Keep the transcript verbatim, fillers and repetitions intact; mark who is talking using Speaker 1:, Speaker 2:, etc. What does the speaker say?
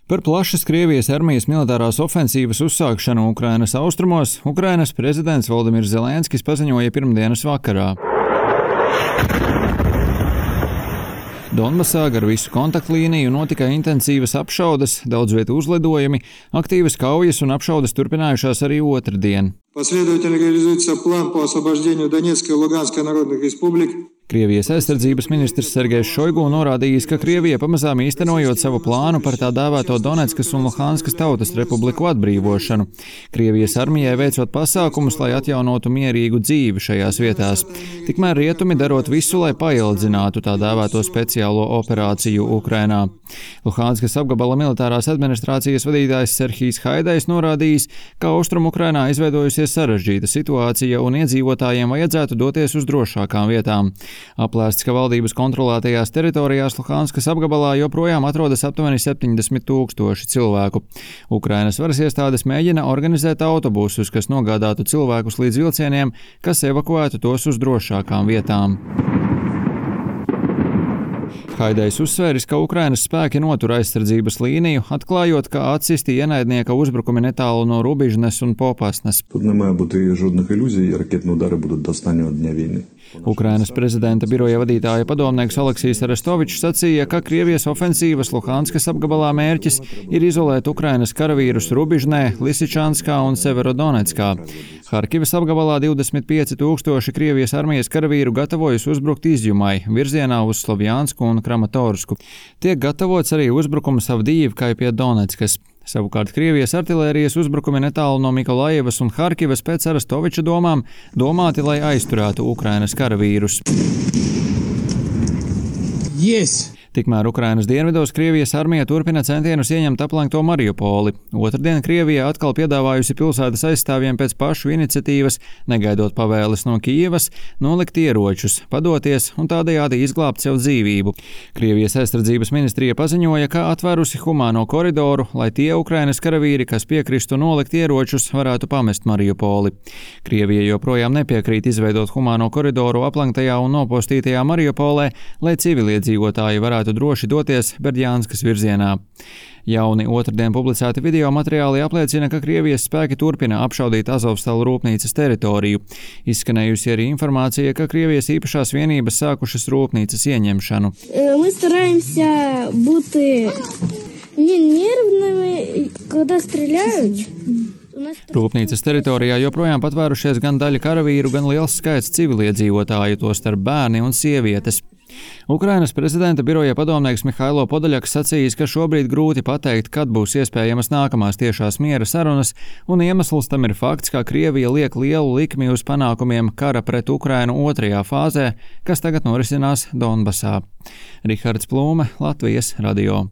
Speaker 1: Par plašas Krievijas armijas militārās ofensīvas uzsākšanu Ukrainas austrumos Ukrainas prezidents Volodimirs Zelenskis paziņoja pirmdienas vakarā. Donbasā gar visu kontaktlīniju notika intensīvas apšaudes, daudz vietu uzlidojumi, aktīvas kaujas un apšaudes turpinājušās arī otrdien.
Speaker 2: Последовательно реализуется план по освобождению Донецкой и Луганской народных республик.
Speaker 1: Krievijas aizsardzības ministrs Sergejs Šoigu norādījis, ka Krievija pamazām īstenojot savu plānu par tā dēvēto Doneckas un Luhanskas tautas republiku atbrīvošanu. Krievijas armijai veicot pasākumus, lai atjaunotu mierīgu dzīvi šajās vietās. Tikmēr rietumi darot visu, lai paildzinātu tā dēvēto speciālo operāciju Ukrainā. Luhanskas apgabala militārās administrācijas vadītājs Serhijs Haidais norādījis, ka Austrum Ukrainā izveidojusies sarežģīta situācija un iedzīvotājiem vajadzētu doties uz drošākām vietām. Aplēsts, ka valdības kontrolētajās teritorijās Luhanskas apgabalā joprojām atrodas aptuveni septiņdesmit tūkstoši cilvēku. Ukrainas varas iestādes mēģina organizēt autobusus, kas nogādātu cilvēkus līdz vilcieniem, kas evakuētu tos uz drošākām vietām. Haidais uzsvēris, ka Ukrainas spēki notur aizsardzības līniju, atklājot, ka atsisti ienaidnieka uzbrukumi netālu no Rubižnes un Popasnes.
Speaker 3: Тут не має бути жодних ілюзій, ракетні удари будуть до останнього дня війни.
Speaker 1: Ukrainas prezidenta biroja vadītāja padomnieks Aleksijs Arestovičs sacīja, ka Krievijas ofensīvas Luhanskas apgabalā mērķis ir izolēt Ukrainas karavīrus Rubižnē, Lisičanskā un Severodonetskā. Harkivas apgabalā divdesmit pieci tūkstoši Krievijas armijas karavīru gatavojas uzbrukt Izjumai, virzienā uz Slovjansku un Kramatorsku. Tiek gatavots arī uzbrukums Avdijivkai pie Doneckas. Savukārt Krievijas artilērijas uzbrukumi netālu no Mikolajevas un Harkivas pēc Arestoviča domām domāti, lai aizturētu Ukrainas karavīrus.
Speaker 2: Yes.
Speaker 1: Tikmēr Ukrainas dienvidos Krievijas armija turpina centienus ieņemt aplenkto Mariupoli. Otrdien Krievija atkal piedāvājusi pilsētas aizstāvjiem pēc pašu iniciatīvas, negaidot pavēles no Kijevas, nolikt ieročus, padoties un tādējādi izglābt sev dzīvību. Krievijas aizsardzības ministrija paziņoja, ka atvērusi humāno koridoru, lai tie Ukrainas karavīri, kas piekristu nolikt ieročus, varētu pamest Mariupoli. Krievija joprojām nepiekrīt izveidot humāno koridoru aplenktajā un nopostītajā Mariupolē, lai civiliedzīvotāji varētu droši doties Berdjānskas virzienā. Jauni otrdien publicēti video materiāli apliecina, ka Krievijas spēki turpina apšaudīt Azovstalu rūpnīcas teritoriju. Izskanējusi arī informācija, ka Krievijas īpašās vienības sākušas rūpnīcas ieņemšanu.
Speaker 4: Mēs стараемся būt nervnami, kad strēļājot.
Speaker 1: Rūpnīcas teritorijā joprojām patvērušies gan daļa karavīru, gan liels skaits civiliedzīvotāju, tostarp bērni un sievietes. Ukrainas prezidenta biroja padomnieks Mihailo Podaļaks sacījis, ka šobrīd grūti pateikt, kad būs iespējamas nākamās tiešās miera sarunas, un iemesls tam ir fakts, ka Krievija liek lielu likmi uz panākumiem kara pret Ukrainu otrajā fāzē, kas tagad norisinās Donbasā. Rihards Plūme, Latvijas radio.